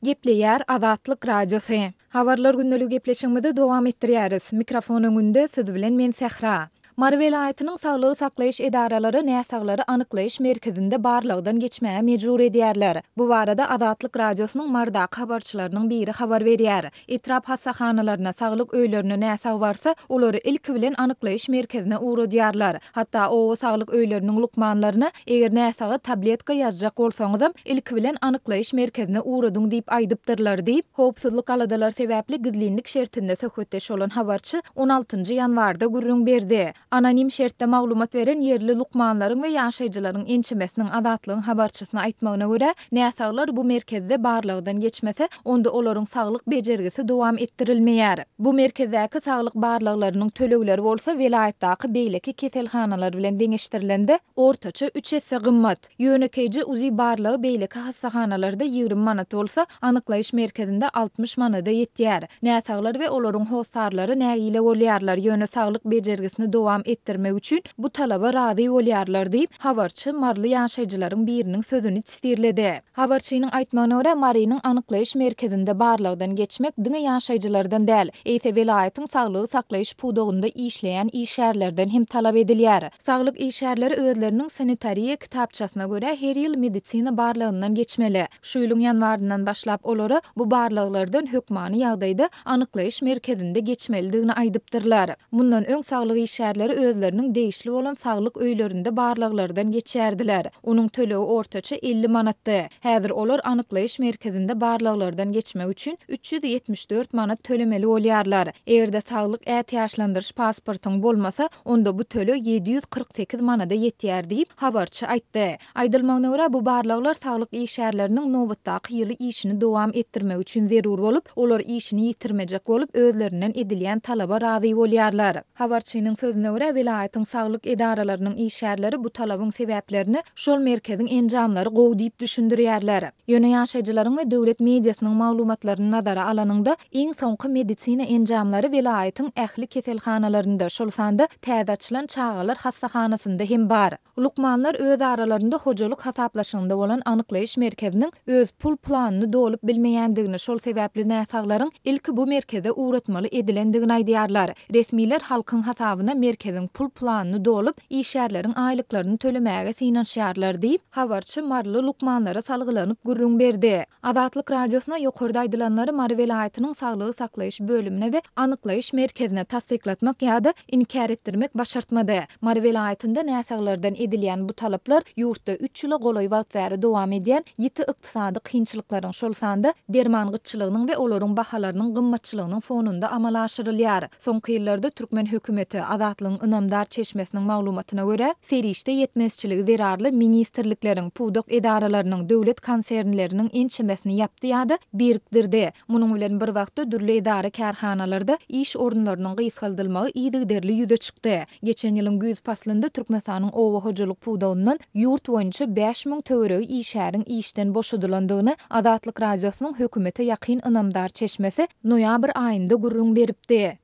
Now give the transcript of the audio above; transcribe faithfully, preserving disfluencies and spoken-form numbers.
Gepleýär Azatlyk Radiosy. Habarlar gündeligi gepleşigimizi dowam etdirýäris. Mikrofon öňünde siz bilen men Sähra. Mary welaýatynyň saglygy saklaýyş edaralary näsaglary anyklaýyş merkezinde barlagdan geçmäge mejbur edýärler. Bu barada Azatlyk Radiosynyň Marydaky habarçylarynyň biri habar berýär. Etrap hassahanalaryna, saglyk öýlerine näsag barsa, olary ilki bilen anyklaýyş merkezine ugradýarlar. Hatda oba saglyk öýleriniň lukmanlaryna eger näsaga tabletka ýazjak bolsaňyzam, ilki bilen anyklaýyş merkezine ugradyň diýip aýdypdyrlar diýip, howpsuzlyk aladalary sebäpli gizlinlik şertinde söhbetdeş bolan habarçy on altynjy ýanwarda gürrüň berdi. Anonim şertde maglumat beren ýerli lukmanlaryň we ýaşaýjylaryň ençemesiniň Azatlygyň habarçysyna aýtmagyna görä, näsaglar bu merkezde barlagdan geçmese, onda olaryň saglyk bejergisi dowam etdirilmeýär. Bu merkezdäki saglyk barlaglarynyň tölegleri bolsa welaýatdaky beýleki keselhanalar bilen deňeşdirilende ortaça üç esse gymmat. Ýönekeýji UZI barlagy beýleki hassahanalarda ýigrimi manat bolsa, anyklaýyş merkezinde altmyş manada ýetýär. Näsaglar we olaryň hossarlary nägile bolýarlar, ýöne saglyk bejergisini dowam etdirmek üçin bu talaba razy bolýarlar diýip, habarçy maryly ýaşaýjylaryň biriniň sözüni çitirledi. Habarçynyň aýtmagyna görä, Marynyň anyklaýyş merkezinde barlagdan geçmek diňe ýaşaýjylardan däl, eýse welaýatyň saglygy saklaýyş pudagynda işleýän işgärlerden hem talap edilýär. Saglyk işgärleri özleriniň sanitariýa kitapçasyna görä her ýyl medisina barlagyndan geçmeli. Şu ýylyň ýanwaryndan başlap olara bu barlaglardan hökmany ýagdaýda anyklaýyş merkezinde geçmelidigini aýdypdyrlar. Mundan öň saglyk işgärleri özleriniň degişli bolan saglyk öýlerinde barlaglardan geçerdiler. Onuň tölegi ortaça elli manatdy. Häzir olar anyklaýyş merkezinde barlaglardan geçmek üçin üç ýüz ýetmiş dört manat tölemeli bolýarlar. Eger-de saglyk ätiýaçlandyryş pasportyň bolmasa, onda bu töleg ýedi ýüz kyrk sekiz manada ýetýär diýip, habarçy aýtdy. Aýdylmagyna görä, bu barlaglar saglyk işgärleriniň nobatdaky ýyly işini dowam etdirmek üçin zerur bolup, olar işini ýitirmejek bolup, özlerinden edilýän talaba razy bolýarlar. Habarçynyň sözüne görä, welaýatyň saglyk edaralarynyň işgärleri bu talabyň sebäplerini şol merkeziň enjamlary gowy diýip düşündirýärler. Ýöne ýaşaýjylaryň we döwlet mediasynyň maglumatlaryny nazara alanyňda, iň soňky medisina enjamlary welaýatyň ähli keselhanalarynda, şol sanda täze açylan çagalar hassahanasynda hem bar. Lukmanlar öz aralarynda hojalyk hasaplaşygynda bolan anyklaýyş merkeziniň öz pul planyny dolup bilmeýändigini, şol sebäpli näsaglaryň ilki bu merkeze ugratmaly edilendigini aýdýarlar. Resmiler halkyň hasabyna merkeziň pul planyny dolup, işgärleriň aýlyklaryny tölemäge synanyşýarlar diýip, habarçy maryly lukmanlara salgylanyp gürrüň berdi. Azatlyk Radiosyna ýokarda aýdylanlary Mary welaýatynyň saglygy saklaýyş bölümine we anyklaýyş merkezine tassyklatmak ýa-da inkär etdirmek başartmady. Mary welaýatynda näsaglardan edilýän bu talaplar ýurtda üç ýyla golaý wagt bäri dowam edýän ýiti ykdysady kynçylyklaryň, şol sanda derman gytçylygynyň we olaryň bahalarynyň gymmatçylygynyň fonunda amala aşyrylýar. Soňky ýyllarda türkmen hökümeti Azatlygyň ynamdar çeşmesiniň maglumatyna görä, serişde ýetmezçiligi zerarly ministrlikleriň, pudak edaralarynyň, döwlet konsernleriniň ençemesini ýapdy ýa-da birikdirdi. Munuň bilen bir wagtda dürli edara kärhanalarda iş orunlarynyň gysgaldylmagy yzygiderli ýüze çykdy. Geçen ýylyň güýz paslynda Türkmenistanyň oba hojalyk pudagyndan ýurt boýunça bäş müň töweregi işgäriň işden boşadylandygyny Azatlyk Radiosynyň hökümete ýakyn ynamdar çeşmesi noýabr aýynda gürrüň beripdi.